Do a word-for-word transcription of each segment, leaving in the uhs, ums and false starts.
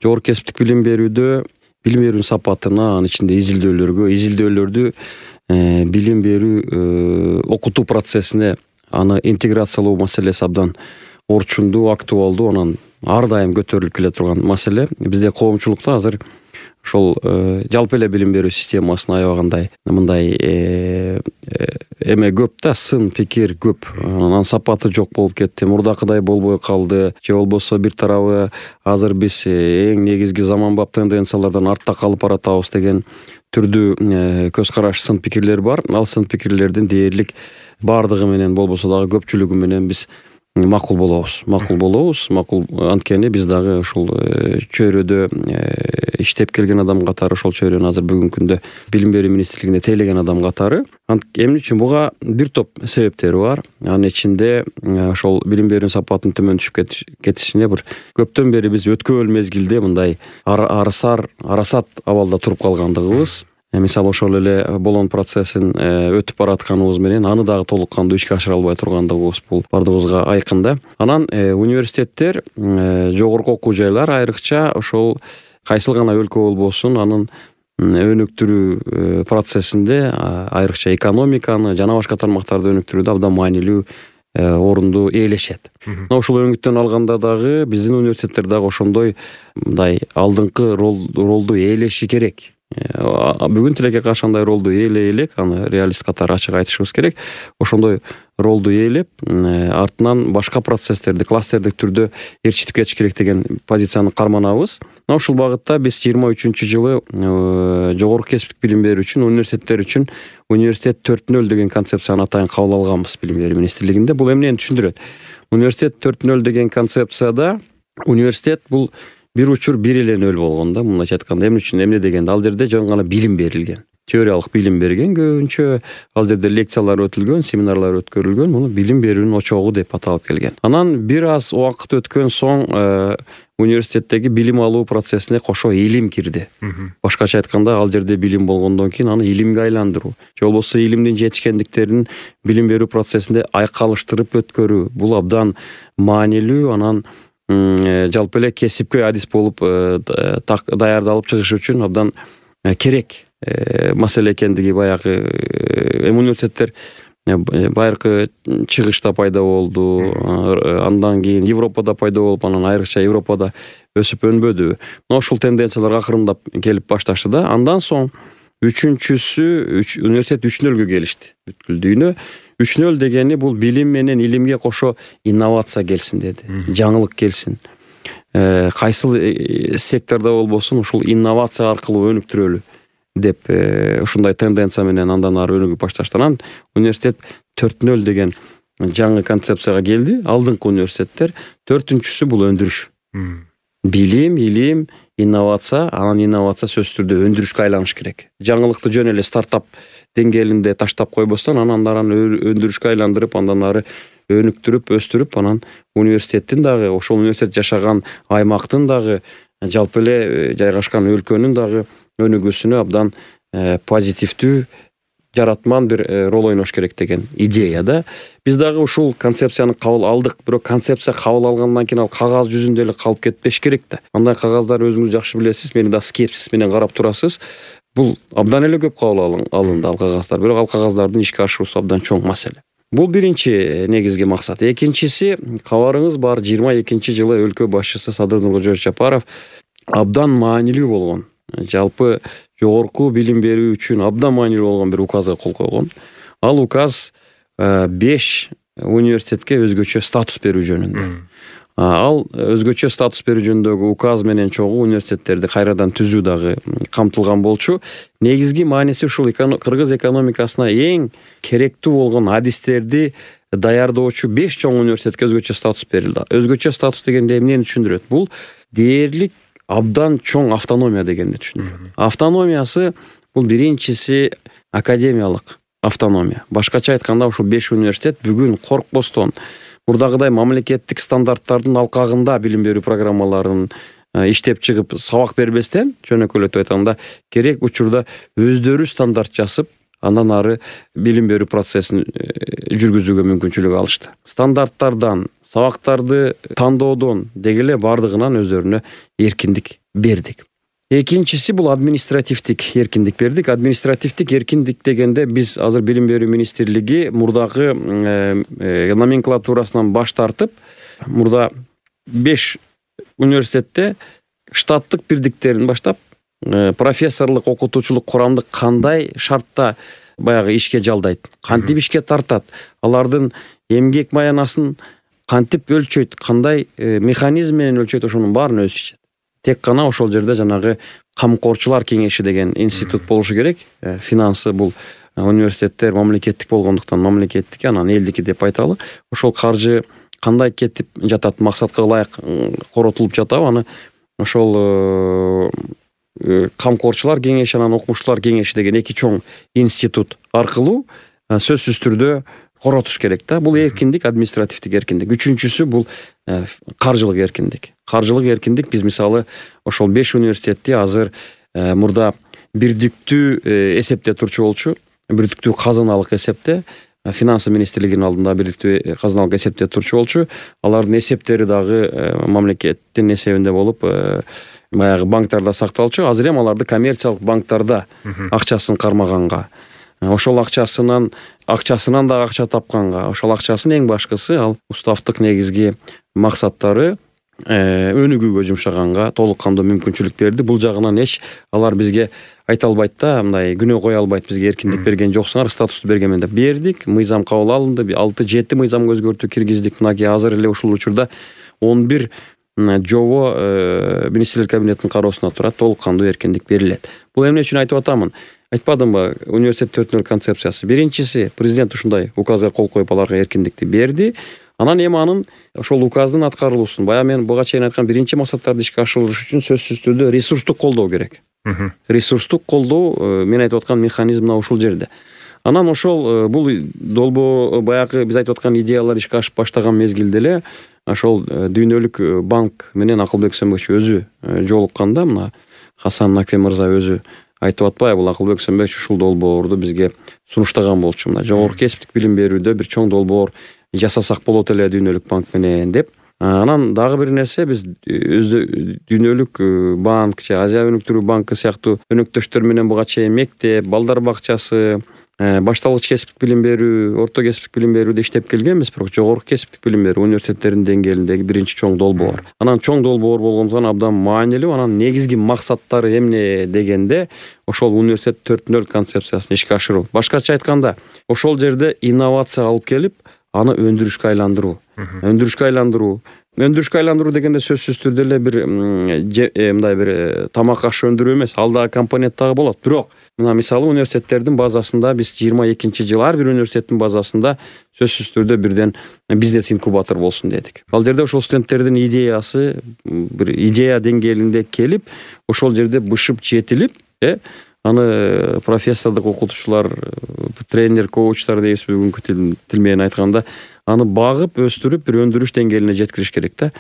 жогорку кесиптик билим берүүдө билим берүүнүн сапатына, анын ичинде изилдөөлөргө, изилдөөлөрдү билим берүү окутуу процессине аны интеграциялоо маселеси абдан орчундуу, актуалдуу, анан ар дайым көтөрүлүп келе турган маселе. Бизде коомчулукта азыр ошол жалпы эле билим берүү системасын аябагандай мындай эме көп да, сын пикир көп, анан сапаты жок болуп кетти, мурдакыдай болбой калды, же болбосо бир тарабы азыр биз эң негизги заманбап тенденциялардан артта калып баратабыз деген түрдүү көз караш, сын пикирлер бар. Ал сын пикирлердин дээрлик бардыгы менен болбосо дагы көпчүлүгү менен биз макул болобуз. Макул болобуз. Макул анткени биз дагы ушул чөйрөдө иштеп келген адам катары, ошол чөйрөнү азыр бүгүнкү күндө билим берүү министрлигинде тейлеген адам катары. Эмне үчүн? Буга бир топ себептери бар. Анын ичинде ошол билим берүүнүн сапатынын төмөн түшүп кетишине бир көптөн бери биз өткөбөл мезгилде мындай арасар, арасат абалда туруп калгандыгыбыз. Мисалы ошол эле Болон процессин өтүп баратканыбыз менен аны дагы толук кандуу ишке ашыра албай тургандыгыбыз бул бардыгыбызга айкын да. Анан университеттер, жогорку окуу жайлар айрыкча ошол кайсыл гана өлкө болбосун анын өнүктүрүү процессинде айрыкча экономиканы жана башка тармактарды өнүктүрүүдө абдан маанилүү орунду ээлешет. Ошол өңүттөн алганда дагы биздин университеттер дагы ошондой мындай алдыңкы ролду ээлеши керек. Бүгүн тилекке каршы андай ролду ээлей элек, аны реалист катары ачык айтышыбыз керек. Ошондой ролду ээлеп, артынан башка процесстерди кластердик түрдө ээрчитип кетиш керек деген позицияны карманабыз. Ушул багытта биз жыйырма үчүнчү жылы жогорку кесиптик билим берүү үчүн университеттер үчүн университет төрт нөл деген концепцияны атайын кабыл алганбыз билим берүү министрлигинде. Бул эмнени түшүндүрөт? Университет төрт нөл деген концепцияда университет бул бир учур бир эле нөл болгон да, мындайча айтканда. Эмне үчүн? Эмне дегенде, ал жерде жөн гана билим берилген. Теориялык билим берген көбүнчө, ал жерде лекциялар өтүлгөн, семинарлар өткөрүлгөн, муну билим берүүнүн очогу деп аталып келген. Анан бир аз убакыт өткөн соң университеттеги билим алуу процессине кошо илим кирди. Башкача айтканда, ал жерде билим болгондон кийин аны илимге айландыруу, же болбосо илимдин жетишкендиктерин билим берүү процессинде айкалыштырып өткөрүү. Бул абдан маанилүү, анан жалпы эле кесипкөй адис болуп даярдалып чыгыш үчүн абдан керек маселе экендиги баягы университеттер байыркы чыгышта пайда болду, андан кийин Европада пайда болуп, анан айрыкча Европада өсүп өнбөдүбү. Ошол тенденциялар акырындап келип башташты да. Андан соң үчүнчүсү университет үч нөлгө келишти. Бүткүл дүйнө үч нөл дегени бул билим менен илимге кошо инновация келсин деди. Жаңылык келсин. Кайсыл сектордо болбосун ушул инновация аркылуу өнүктүрөлү деп ушундай тенденция менен андан ары өнүгүп башташты. Анан университет төрт нөл деген жаңы концепцияга келди. Алдыңкы университеттер. Төртүнчүсү бул өндүрүш. Билим, илим, инновация, анан инновация сөзсүз түрдө өндүрүшкө айланыш керек. Жаңылыкты жөн эле стартап деңгээлинде таштап койбостон, анан ары өндүрүшкө айландырып, андан ары өнүктүрүп, өстүрүп, анан университеттин дагы, ошол университет жашаган аймактын дагы, жалпы эле жайгашкан өлкөнүн дагы өнүгүүсүнө абдан позитивдүү, жаратман бир рол ойнош керек деген идея да. Биз дагы ушул концепцияны кабыл алдык, бирок концепция кабыл алгандан кийин ал кагаз жүзүндө эле калып кетпеш керек да. Андай кагаздар өзүңүз жакшы билесиз, мени да скепсис менен карап турасыз. Бул абдан эле көп кабыл алынды ал кагаздар, бирок ал кагаздардын ишке ашуусу абдан чоң маселе. Бул биринчи негизги максат. Экинчиси, кабарыңыз бар, жыйырма экинчи жылы өлкө башчысы Садыр Нуркожоевич Жапаров абдан маанилүү болгон, жалпы жогорку билим берүү үчүн абдан маанилүү болгон бир указга кол койгон. Ал указ беш университетке өзгөчө статус берүү жөнүндө. Ал өзгөчө статус берүү жөнүндөгү указ менен чогуу университеттерди кайрадан түзүү дагы камтылган болчу. Негизги мааниси ушул кыргыз экономикасына эң керектүү болгон адистерди даярдоочу беш чоң университетке өзгөчө статус берилди. Өзгөчө статус дегенде эмнени түшүндүрөт? Бул дээрлик абдан чоң автономия дегенди түшүндүрөт. Автономиясы бул биринчиси академиялык автономия. Башкача айтканда, ушул беш университет бүгүн коркпостон, мурдагыдай мамлекеттик стандарттардын алкагында билим берүү программаларын иштеп чыгып сабак бербестен, жөнөкөйлөтүп айтканда, керек учурда өздөрү стандарт жасып, андан ары билим берүү процессин жүргүзүүгө мүмкүнчүлүк алышты. Стандарттардан, сабактарды тандоодон деги эле бардыгынан өздөрүнө эркиндик бердик. Экинчиси бул административдик эркиндик бердик. Административдик эркиндик дегенде биз азыр Билим берүү министрлиги мурдагы номенклатурасынан баш тартып, мурда беш университетте штаттык бирдиктерин баштап, профессорлук, окутуучулук курамды кандай шартта баягы ишке жалдайт, кантип ишке тартат, алардын эмгек маянасын кантип өлчөйт, кандай механизм менен өлчөйт, ошонун баарын өзү чечет. Тек гана ошол жерде жанагы камкорчулар кеңеши деген институт болушу керек. Финансы бул университеттер мамлекеттик болгондуктан мамлекеттик, анан элдики деп айталы. Ошол каржы кандай кетип жатат, максатка ылайык коротулуп жатабы, аны ошол камкорчулар кеңеши, анан окумуштуулар кеңеши деген эки чоң институт аркылуу сөзсүз түрдө коротуш керек да. Бул эркиндик, административдик эркиндик. Үчүнчүсү бул каржылык эркиндик. Каржылык эркиндик биз мисалы ошол беш университетти азыр мурда бирдиктүү эсепте турчу болчу, бирдиктүү казыналык эсепте, финансы министрлигинин алдында бирдиктүү казыналык эсепте турчу болчу. Алардын эсептери дагы мамлекеттин эсебинде болуп, баягы банктарда сакталчу. Азыр эми аларды коммерциялык банктарда акчасын кармаганга, ошол акчасынан акчасынан дагы акча тапканга, ошол акчасын эң башкысы ал уставдык негизги максаттары өнүгүүгө жумшаганга толук кандуу мүмкүнчүлүк берди. Бул жагынан эч алар бизге айта албайт да, мындай күнөө кое албайт, бизге эркиндик берген жоксуңар, статусту бергенмен деп. Бердик, мыйзам кабыл алынды, алты жети мыйзамга өзгөртүү киргиздик. Мынакей азыр эле ушул учурда он бир жобо министрлер кабинетинин кароосуна турат, толук кандуу эркиндик берилет. Бул эмне үчүн айтып атамын? Айтпадымбы, университет төрт нөл концепциясы. Биринчиси, президент ушундай указга кол коюп аларга эркиндикти берди. Анан эми анын ошол указдын аткарылуусун, бая мен буга чейин айткан биринчи максаттарды ишке ашырыш үчүн сөзсүз түрдө ресурстук колдоо керек. Ресурстук колдоо мен айтып аткан механизм мына ушул жерде. Анан ошол бул долбоо баягы биз айтып аткан идеялар ишке ашып баштаган мезгилде эле ошол Дүйнөлүк банк менен Акылбек Сөнбекчи өзү жолукканда, мына Хасан Наке мырза өзү айтып атпайбы, бул Акылбек Сөнбекчи ушул долбоорду бизге сунуштаган болчу. Мына жогорку кесиптик билим берүүдө бир чоң долбоор жасасак болот эле Дүйнөлүк банк менен деп. Анан дагы бир нерсе, биз Дүйнөлүк банк же Азия өнүктүрүү банкы сыяктуу өнөктөштөр менен буга чейин мектеп, балдар бакчасы, башталгыч кесиптик билим берүү, орто кесиптик билим берүүдө иштеп келгенбиз, бирок жогорку кесиптик билим берүү университеттердин деңгээлиндеги биринчи чоң долбоор. Анан чоң долбоор болгондуктан абдан маанилүү. Анан негизги максаттары эмне дегенде, ошол университет төрт нөл концепциясын ишке ашыруу. Башкача айтканда, ошол жерде инновация алып келип, аны өндүрүшкө айландыруу. Өндүрүшкө айландыруу. Өндүрүшкө айландыруу дегенде сөзсүз түрдө эле бир мындай бир тамак аш өндүрүү эмес, ал дагы компонент дагы болот. Бирок мына мисалы университеттердин базасында биз жыйырма экинчи жыл ар бир университеттин базасында сөзсүз түрдө бирден бизнес инкубатор болсун дедик. Ал жерде ошол студенттердин идеясы бир идея деңгээлинде келип, ошол жерде бышып жетилип, э аны профессордук окутуучулар, тренер, коучтар дейбиз бүгүнкү тил менен айтканда, аны багып, өстүрүп, бир өндүрүш деңгээлине жеткириш керек да.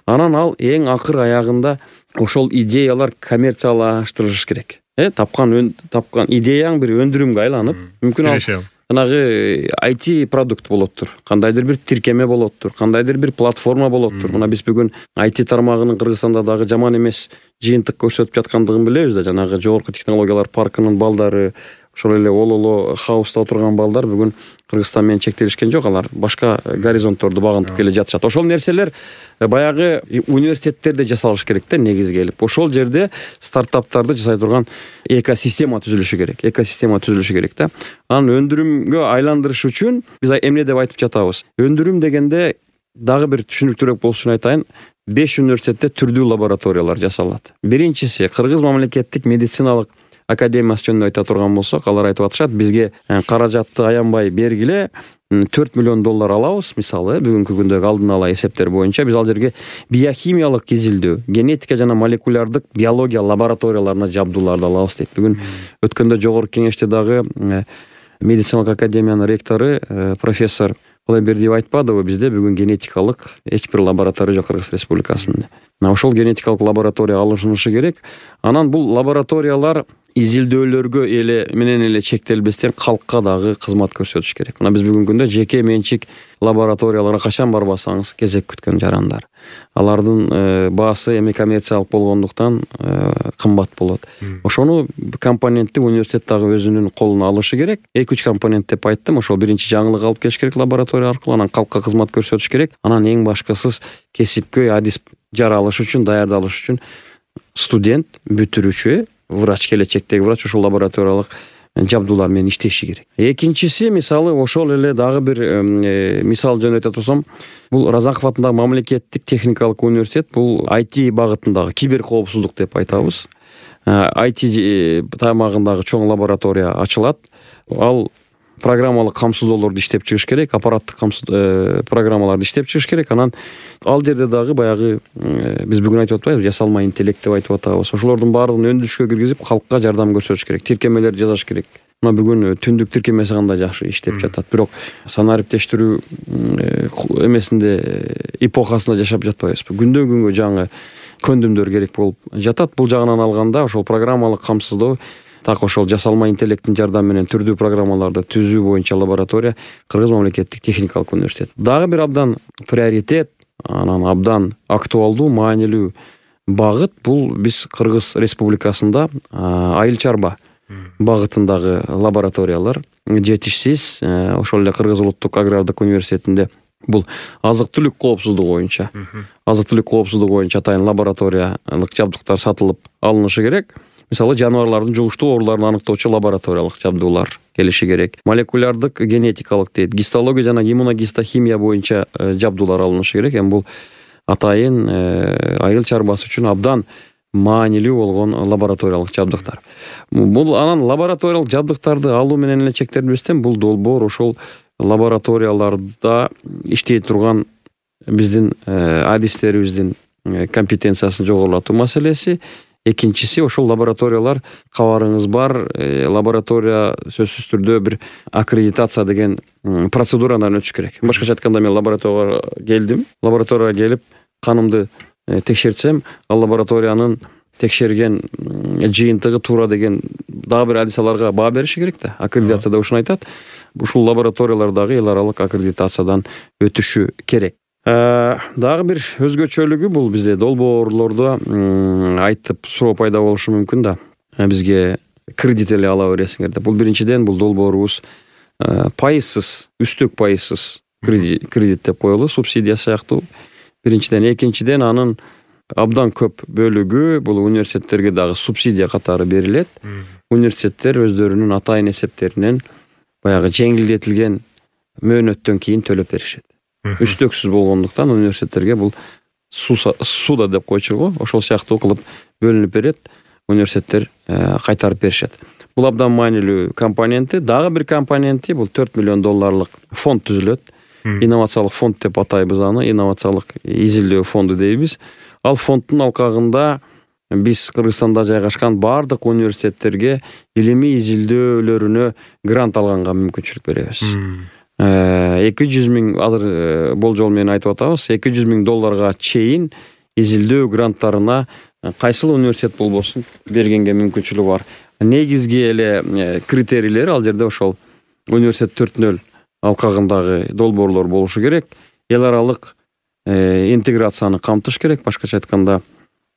Анан ал эң акыр аягында ошол идеялар коммерциялаштырылыш керек. Э, тапкан тапкан идеяң бир өндүрүмгө айланып, мүмкүн ал жанагы ай ти продукт болоттур, кандайдыр бир тиркеме болоттур, кандайдыр бир платформа болоттур. Мына биз бүгүн ай ти тармагынын Кыргызстанда дагы жаман эмес жыйынтык көрсөтүп жаткандыгын билебиз да. Жанагы жогорку технологиялар паркынын балдары, ошол эле Ололо хауста отурган балдар бүгүн Кыргызстан менен чектелишкен жок, алар башка горизонтторду багынтып келе жатышат. Ошол нерселер баягы университеттерде жасалыш керек да, негизги келип. Ошол жерде стартаптарды жасай турган экосистема түзүлүшү керек. Экосистема түзүлүшү керек да. Анан өндүрүмгө айландырыш үчүн биз эмне деп айтып жатабыз? Өндүрүм дегенде дагы бир түшүнүктүүрөөк болушун айтайын. беш университетте түрдүү лабораториялар жасалат. Биринчиси Кыргыз мамлекеттик медициналык академиясы жөнүндө айта турган болсок, алар айтып атышат, бизге каражатты аянбай бергиле, төрт миллион доллар алабыз, мисалы, бүгүнкү күндөгү алдын ала эсептер боюнча биз ал жерге биохимиялык изилдөө, генетика жана молекулярдык биология лабораторияларына жабдууларды алабыз дейт. Бүгүн өткөндө жогорку кеңеште дагы медициналык академиянын ректору профессор Кулайбердиев айтпадыбы, бизде бүгүн генетикалык эч бир лаборатория жок Кыргыз Республикасында. Ошол генетикалык лаборатория алышынышы керек. Анан бул лабораториялар изилдөөлөргө эле менен эле чектелбестен калкка дагы кызмат көрсөтүш керек. Мына биз бүгүнкү күндө жеке менчик лабораторияларга качан барбасаңыз кезек күткөн жарандар. Алардын баасы эми коммерциялык болгондуктан кымбат болот. Ошону компонентти университет дагы өзүнүн колуна алышы керек. эки үч компонент деп айттым. Ошол биринчи жаңылык алып келиш керек лаборатория аркылуу, анан калкка кызмат көрсөтүш керек. Анан эң башкысы кесипкөй адис жаралыш үчүн, даярдалыш үчүн студент, бүтүрүүчү, врач, келечектеги врач ошол лабораториялык жабдуулар менен иштеши керек. Экинчиси, мисалы, ошол эле дагы бир мисал жөнөтө турсам, бул Разаков атындагы мамлекеттик техникалык университет, бул ай ти багытындагы кибер коопсуздук деп айтабыз. ай ти тармагындагы чоң лаборатория ачылат. Ал программалык камсыздоолорду иштеп чыгыш керек, аппараттык программаларды иштеп чыгыш керек. Анан ал жерде дагы баягы биз бүгүн айтып атпайбызбы, жасалма интеллект деп айтып атабыз. Ошолордун баардыгын өндүрүшкө киргизип, калкка жардам көрсөтүш керек. Тиркемелерди жасаш керек. Мына бүгүн түндүк тиркемеси кандай жакшы иштеп жатат. Бирок санариптештирүү эмесинде, эпохасында жашап жатпайбызбы. Күндөн күнгө жаңы көндүмдөр керек болуп жатат. Бул жагынан алганда ошол программалык камсыздоо, так ошол жасалма интеллекттин жардамы менен түрдүү программаларды түзүү боюнча лаборатория Кыргыз мамлекеттик техникалык университет. Дагы бир абдан приоритет, анан абдан актуалдуу, маанилүү багыт бул биз Кыргыз Республикасында айыл чарба багытындагы лабораториялар жетишсиз. Ошол эле Кыргыз улуттук агрардык университетинде бул азык-түлүк коопсуздугу боюнча, азык-түлүк коопсуздугу боюнча атайын лабораториялык жабдыктар сатылып алынышы керек. Мисалы, жаныбарлардын жугуштуу ооруларын аныктоочу лабораториялык жабдуулар келиши керек. Молекулярдык генетикалык дейт, гистология жана иммуногистохимия боюнча жабдуулар алынышы керек. Эми бул атайын айыл чарбасы үчүн абдан маанилүү болгон лабораториялык жабдыктар. Бул анан лабораториялык жабдыктарды алуу менен эле чектелбестен, бул долбоор ошол лабораторияларда иштей турган биздин адистерибиздин компетенциясын жогорулатуу маселеси. Экинчиси, ошол лабораториялар, кабарыңыз бар, лаборатория сөзсүз түрдө бир аккредитация деген процедурадан өтүш керек. Башкача айтканда, мен лабораторияга келдим, лабораторияга келип канымды текшертсем, ал лабораториянын текшерген жыйынтыгы туура деген дагы бир адис аларга баа бериши керек да. Аккредитацияда ушуну айтат. Ушул лабораториялар дагы эл аралык аккредитациядан өтүшү керек. Дагы бир өзгөчөлүгү бул бизде долбоорлордо айтып суроо пайда болушу мүмкүн да. Бизге кредит эле ала бересиңер деп. Бул биринчиден, бул долбоорубуз пайызсыз, үстөк пайызсыз кредит деп коелу, субсидия сыяктуу. Биринчиден, экинчиден, анын абдан көп бөлүгү бул университеттерге дагы субсидия катары берилет. Университеттер өздөрүнүн атайын эсептеринен баягы жеңилдетилген мөөнөттөн кийин төлөп беришет. Үстөксүз болгондуктан университеттерге бул суда деп койчу го, ошол сыяктуу кылып бөлүнүп берет, университеттер кайтарып беришет. Бул абдан маанилүү компоненти. Дагы бир компоненти бул төрт миллион долларлык фонд түзүлөт. Инновациялык фонд деп атайбыз аны, инновациялык изилдөө фонду дейбиз. Ал фонддун алкагында биз Кыргызстанда жайгашкан бардык университеттерге илимий изилдөөлөрүнө грант алганга мүмкүнчүлүк беребиз. эки жүз миң, азыр болжол менен айтып атабыз, эки жүз миң долларга чейин изилдөө гранттарына кайсыл университет болбосун бергенге мүмкүнчүлүгү бар. Негизги эле критерийлер ал жерде ошол университет төрт нөл алкагындагы долбоорлор болушу керек. Эл аралык интеграцияны камтыш керек. Башкача айтканда,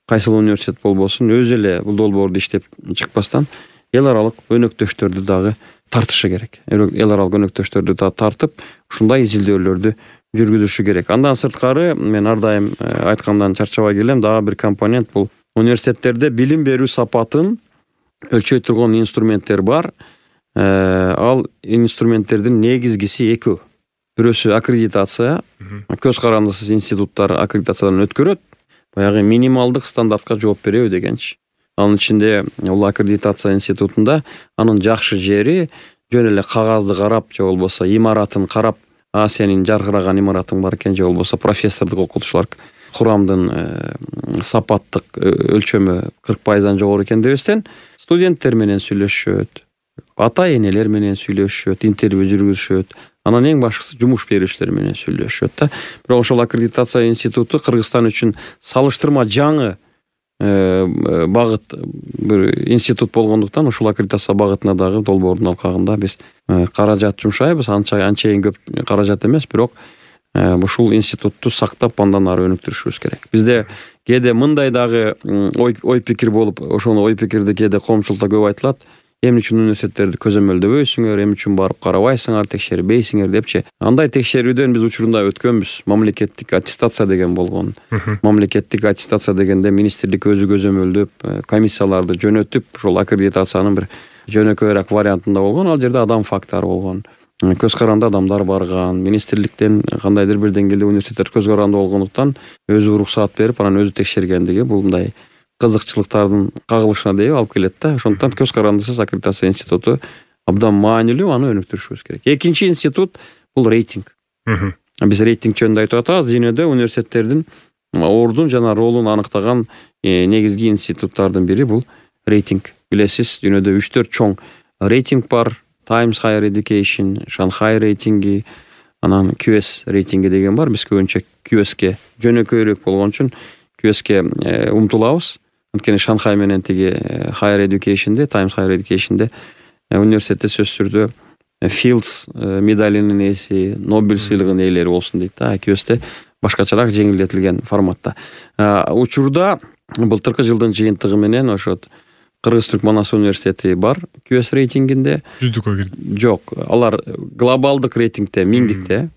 кайсыл университет болбосун өзү эле бул долбоорду иштеп чыкпастан эл аралык өнөктөштөрдү дагы тартышы керек. Эл аралык өнөктөштөрдү тартып, ушундай изилдөөлөрдү жүргүзүшү керек. Андан сырткары, мен ар дайым айткандан чарчабай келем, дагы бир компонент бул университеттерде билим берүү сапатын өлчөй турган инструменттер бар. Ал инструменттердин негизгиси экөө. Бирөөсү аккредитация, көз карандысыз институттар аккредитациядан өткөрөт. Баягы минималдык стандартка жооп береби дегенчи. Анын ичинде бул аккредитация институтунда анын жакшы жери жөн эле кагазды карап, же болбосо имаратын карап, а сенин жаркыраган имаратың бар экен, же болбосо профессордук окутуучулар курамдын сапаттык өлчөмү кырк пайыздан жогору экен дебестен, студенттер менен сүйлөшөт, ата-энелер менен сүйлөшөт, интервью жүргүзүшөт. Анан эң башкысы жумуш берүүчүлөр менен сүйлөшөт да. Бирок ошол аккредитация институту Кыргызстан үчүн салыштырма жаңы багыт бир институт болгондуктан ушул аккредитация багытына дагы долбоордун алкагында биз каражат жумшайбыз. Анча анчейин көп каражат эмес, бирок ушул институтту сактап андан ары өнүктүрүшүбүз керек. Бизде кээде мындай дагы ой ой пикир болуп, ошону ой пикирди кээде коомчулукта көп айтылат. Эмне үчүн университеттерди көзөмөлдөбөйсүңөр, эмне үчүн барып карабайсыңар, текшербейсиңер депчи. Андай текшерүүдөн биз учурунда өткөнбүз. Мамлекеттик аттестация деген болгон. Мамлекеттик аттестация дегенде министрлик өзү көзөмөлдөп, комиссияларды жөнөтүп, ошол аккредитациянын бир жөнөкөйрөөк вариантында болгон. Ал жерде адам фактору болгон. Көз каранды адамдар барган. Министрликтен кандайдыр бир деңгээлде университеттер көз каранды болгондуктан өзү уруксаат берип, анан өзү текшергендиги бул мындай кызыкчылыктардын кагылышына дейип алып келет да. Ошондуктан көз карандысыз аккредитация институту абдан маанилүү, аны өнүктүрүшүбүз керек. Экинчи институт бул рейтинг. Биз рейтинг жөнүндө айтып атабыз. Дүйнөдө университеттердин ордун жана ролун аныктаган негизги институттардын бири бул рейтинг. Билесиз, дүйнөдө үч төрт чоң рейтинг бар. Times Higher Education, Shanghai рейтинги, анан Q S рейтинги деген бар. Биз көбүнчө Q S'ке жөнөкөйрөөк болгон үчүн Q S'ке умтулабыз. Анткени Shanghai менен тиги Higher Education'де, Times Higher Education'де университетте сөзсүз түрдө Fields медалинин ээси, Нобель сыйлыгынын ээлери болсун дейт да. Q S'те башкачараак жеңилдетилген форматта. Учурда былтыркы жылдын жыйынтыгы менен ошо Кыргыз-Түркманас университети бар Q S рейтингинде. Жүздүккө кирди. Жок, алар глобалдык рейтингде миңдикте,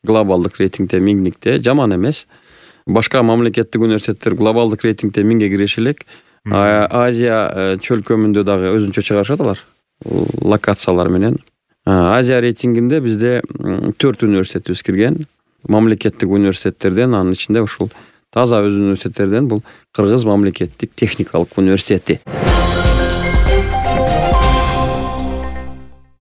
глобалдык рейтингде миңдикте, жаман эмес. Башка мамлекеттик университеттер глобалдык рейтингде миңге кириши элек. Азия чөлкөмүндө дагы өзүнчө чыгарышат алар локациялар менен. Азия рейтингинде бизде төрт университетибиз кирген. Мамлекеттик университеттерден, анын ичинде ушул таза өз университеттерден бул Кыргыз мамлекеттик техникалык университети.